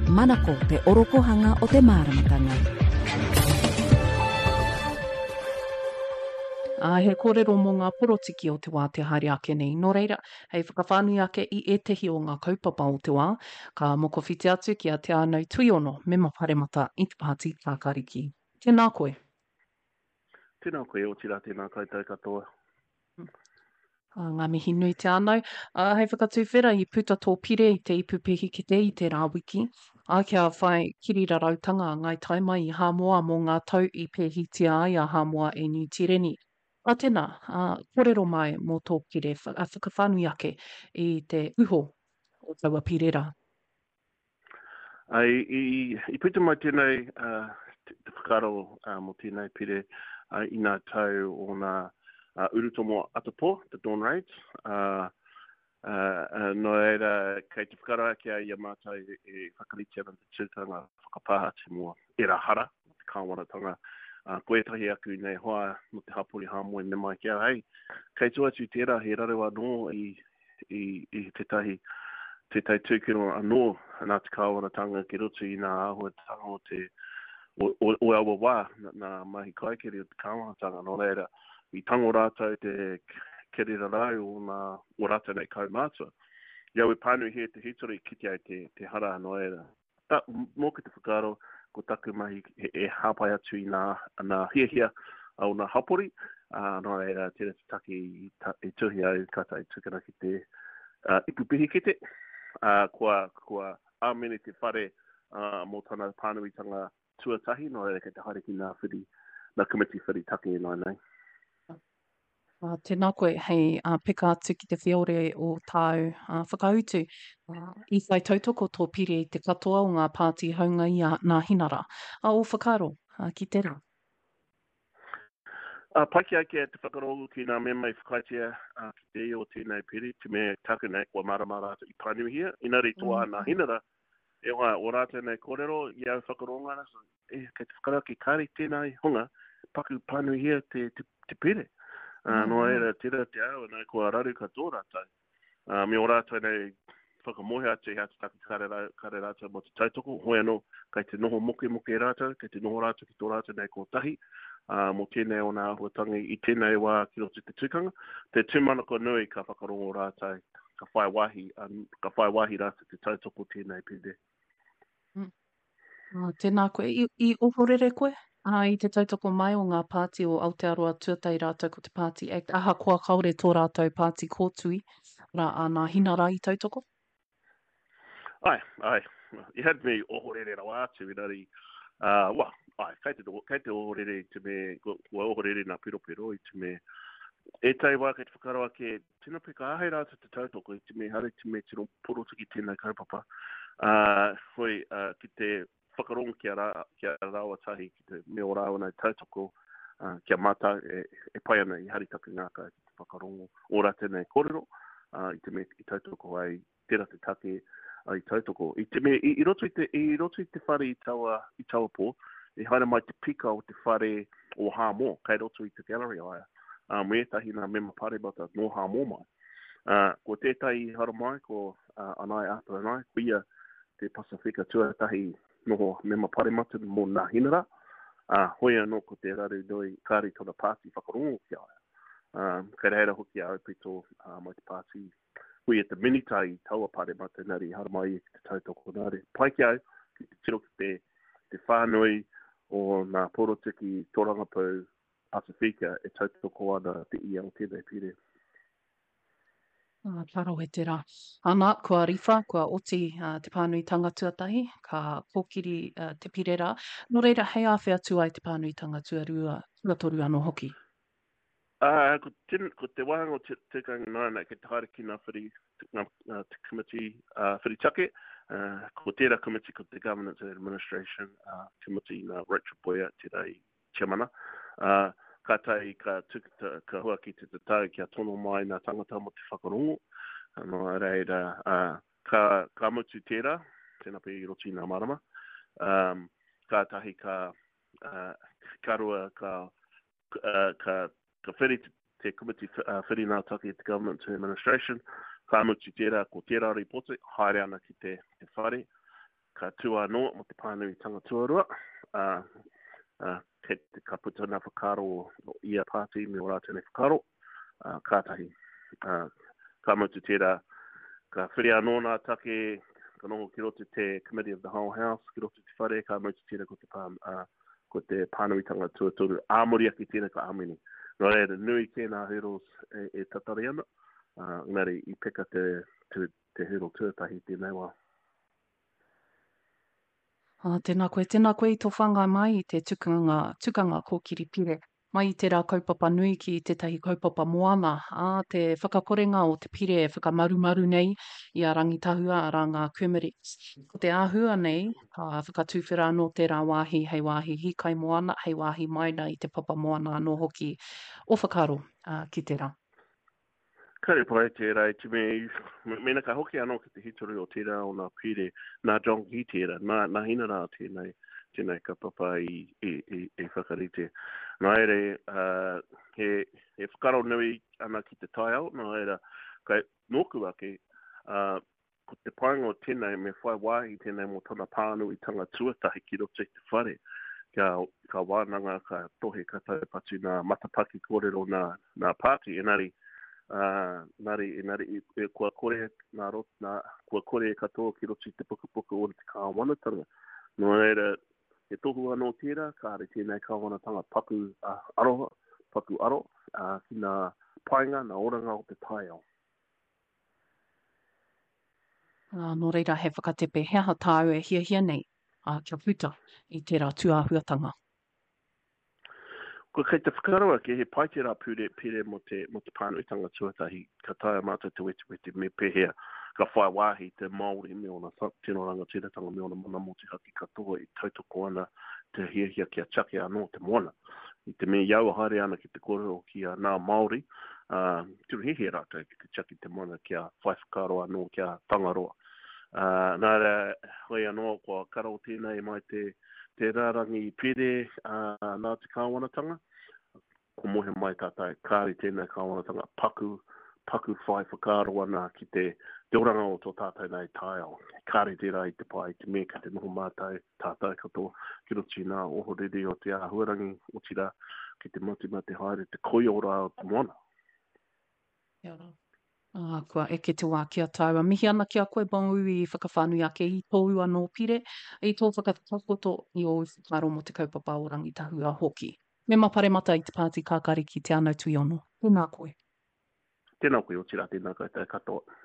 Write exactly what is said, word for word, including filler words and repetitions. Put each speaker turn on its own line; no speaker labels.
Manako te orokohanga o te māramatanga.
Ā, he kōrero mō ngā porotiki o te wā te haere ake nei. Nō reira, hei whakawhānui ake i ētehi o ngā kaupapa o te wā, ka mokowhiti atu ki a Te Ānau Tuiono, mema paremata i te Pāti Kākāriki. Tēnā koe.
Tēnā koe, otirā tēnā koutou katoa.
Ā, ngā mihi nui Te Ānau. Ā, hei whakatuwhera i puta tō pire i te ipu pehikete i tērā wiki, ā, kia whai kirirarautanga a Ngāi Tai mai i Hāmoa mō ngā tau i pēhitia ai a Hāmoa e Niu Tīreni. Ā, tēnā, ā, kōrero mai mō tō pire, whakawhānui ake i te uho o taua pire rā.
Ā, i, i, i puta mai tēnei, ā, te, te whakaaro ā, mō tēnei pire ā, i ngā tau o ngā ā, urutomo atapō, the dawn raids, ā, ā, ā, nō reira, kei te whakaaro ake au i a mātou e, e whakarite ana te tūtanga whakapāha atu mō ērā hara, mō te kāwanatanga. Ā, ko ētahi aku nei hoa mō te hapori Hāmoa i mea mai ki au, hei, kei tua atu tērā he raru anō i i, i tētahi, tētahi tūkino anō nā te kāwanatanga ki roto i ngā āhuatanga o te, o, o, o aua wā, nā mahi kaikiri o te kāwanatanga. Nō reira, i tango rātou te kirirarau o nā, o rātou nei kaumātua. I au e pānuihia te hitori, kite ai te, te hara, nō reira, Ta, mōku te whakaaro, ko taku mahi e, e hāpai atu i nā, nā hiahia o nā hapori, ā, nō reira, tērā te take i, ta, i tuhi au ka tae tukuna ki te uh, ipu pihikete, ā, kua, kua āmene te whare uh, mō tana pānuitanga tuatahi, nō reira kei te haere ki nā whiri, nā komiti whiri take ināianei.
Ā, tēnā koe hei ā, peka atu ki te whiore o tāu ā, whakautu. Ā, i whai tautoko tō pire i te katoa o ngā pāti haunga i a Nāhinara. Ā, ō whakaaro ā, ki tērā?
Ā, pai ki a kia te whakarongo ki ngā mema i whakaaetia ā, ki te ia o tēnei pire, te mea taku nei kua mārama rātou i pānuihia, engari toa a Nāhinara, e hoa, o rātou nei kōrero i au whakarongo ana, so, e, kei te whakarongo ake, kāre tēnā hunga paku pānuihia te, te, te pire. Uh, nō reira, tērā te ao, nā, kua raru katoa rātou. Uh, me o rātou nei whakamohe atu i atu taki kare, rā, kare rātou mō te tautoko, hoi anō, kei te noho mokemoke rātou, kei te noho rātou ki tō rātou nei kotahi, uh, mō tēnei o nā āhuatanga i tēnei wā ki roto i te tukanga. Te tūmanako nui ka whakarongo rātou, ka whai wāhi, ka whai wāhi rātou te tautoko tēnei pire.
Mm. Oh, tēnā koe. I, i ohorere koe ā, i te tautoko mai o ngā pāti o Aotearoa Tuatahi rātou ko te Pāti Act, ahakoa kāore tō rātou pāti kōtui, arā, a Nāhinara i tautoko?
Ai, ai. I had me ohorere rawa atu, engari, uh, well, ai, kei te, kei te ohorere i te me, kua ohorere nā piropiro i te me, ētahi wā kei te whakaaro ake, tino peka āhei rātou te tautoko i te me, haere te me tino porotiki tēnei kaupapa. Uh, hoi, uh, ki te whakarongo ki a, rā, ki a rāua tahi, ki te me o rāua nei tautoko, uh, ki a mātou e, e pai ana i hari taku ngākau ki te whakarongo o rātou nei kōrero, uh, i te me i tautoko ai tērā te take i tautoko. I, te, me, i, i, roto i, te, i roto i te whare i taua, i taua pō, i haere mai te pika o te whare o Hāmoa, kei roto i te gallery aia, uh, me ētahi nā mema paremata nō Hāmoa mai. Uh, ko tētahi i haere mai, ko uh, Anaia Aperanai, ko ia te Pasifika tuatahi noho mema paremata mō Nāhinara, uh, hoi anō ko te raru nui kāre tōna pāti whakarongo ki a ia. Uh, kei reira hoki a Aupito uh, mai te pāti ko ia te minita i taua paremata engari i haramai ia ki te tautoko nā reira. Pai ki au ki te tiro ki te, te whānui o ngā porotiki tōrangapū Pasifika e tautoko ana te ia o tēnei pire.
Ah, ka rawe tērā. Ana, kua riwha, kua oti uh, te pānuitanga tuatahi, ka kōkiri uh, te pire rā. Nō reira, hei āwhea atu ai te pānuitanga tuarua, tuatoru anō hoki?
Ā, ko te, ko te wāhanga o te tikanga nāna kei te haere ki ngā whiri, ngā, ngā te komiti uh, whiri take, uh, ko tērā komiti ko te Governance and Administration uh, komiti nā Rachel Boyer tērā i tiamana. Uh, kātahi ka, tuku, ka hua ki te tatau kia tono mai ngā tangata mō te whakarongo. Nō reira, uh, ka, ka mutu tērā, tēnā pea i roto i ngā marama, um, kātahi ka, uh, ka rua, ka uh, ka, ka whiri te, te komiti uh, whiri ngā take te Government to Administration, ka mutu tērā, ko tērā ripoti, haere ana ki te, te whare, ka tū anō mō te pānuitanga tuarua, ā, ā, kei te, ka puta ngā whakaaro o ia pāti me ō rātou nei whakaaro, ā, kātahi, ā, ka mutu tērā, ka whiria anō nā take, ka noho ki roto te Committee of the Whole House, ki roto te whare, ka mutu tērā ko te, pā, ā, ko te pānuitanga tuatoru, ā muri ake tērā ka āmine. Nō reira, nui kē nā hurdles e, e tatari ana, ā, engari i peka te, te, te hurdle tuatahi tēnei wā.
Ā, tēnā koe, tēnā koe i tō whāngai mai i te tukanga, tukanga kōkiri pire. Mai i tērā kaupapa nui ki tētahi kaupapa moana, ā, te whakakorenga o te pire e whakamarumaru nei i a Rangitahua, arā ngā Kermadec. Ko te āhua nei, ka whakatuwhera anō tērā wāhi hei wāhi hīkai moana, hei wāhi maina i te papa moana anō hoki o whakaaro, ā, ki tērā.
Kāre pai tērā i te mea, mēnā ka hoki anō ki te hitori o tērā o nā pire, nā John Key tērā, nā, nā Hina rā tēnei, tēnei kaupapa i, i, i, i whakarite. Nā reira, uh, he, he whakaaro nui ana ki te taiao, nā reira, kai nōku ake, uh, ko te painga o tēnei me whai wāhi tēnei mō tana pānuitanga tuatahi ki roto i te whare. Kia, ka wānanga, ka tohe, ka taupatu nā matapaki kōrero nā, nā pāti, engari, uh, engari, engari, e, kua kore nā rot, nā, kua kore e katoa ki roto i te pukapuka o te kāwanatanga. Nō reira, he tohu anō tērā, kāre tēnei kāwanatanga paku uh, aroha, paku aro, uh, ki nā painga, nā oranga o te taiao.
Ā, nō reira he whakatepe he aha tāu e hiahia nei, ā, kia puta i tērā tūāhuatanga.
Kua kei te whakaaro ake he pai tērā pure, pire mō te, mō te pānuitanga tuatahi, ka taea mātou te wetewete me pēhea ka whai wāhi te Māori me ōna tino rangatiratanga me ōna mana motuhake katoa e tautoko ana te hiahia kia tiaki anō te moana. I te mea i aua haere ana ki te kōrero ki a nā Māori, ā, tino hiahia rātou ki te tiaki te moana kia whai whakaaro anō kia Tangaroa. Ā, nā reira, hoi anō, kua karo tēnei mai te, te rārangi pire, ā, nā te kāwanatanga, kua mōhio mai tātou, kāore tēnei kāwanatanga paku, paku whai whakaaro ana ki te, te oranga o tō tātou nei taiao. Kāore tērā i te pai, i te mea kei te noho mātou, tātou katoa, ki roto i ngā ohorere o te āhuarangi, otirā, ki te matemate haere te koiora o te moana.
Kia ora. Ā, kua eke te wā ki a tāua. Mihi ana ki a koe, Bong i whakawhānui ake i tōu anō pire, i tō whakatakoto i ōu whakaaro mō te kaupapa o Rangitahua hoki. Mema Paremata i te Pāti Kākāriki Te Anau Tuiono. Tēnā koe.
Tēnā koe, otirā, tēnā koutou katoa.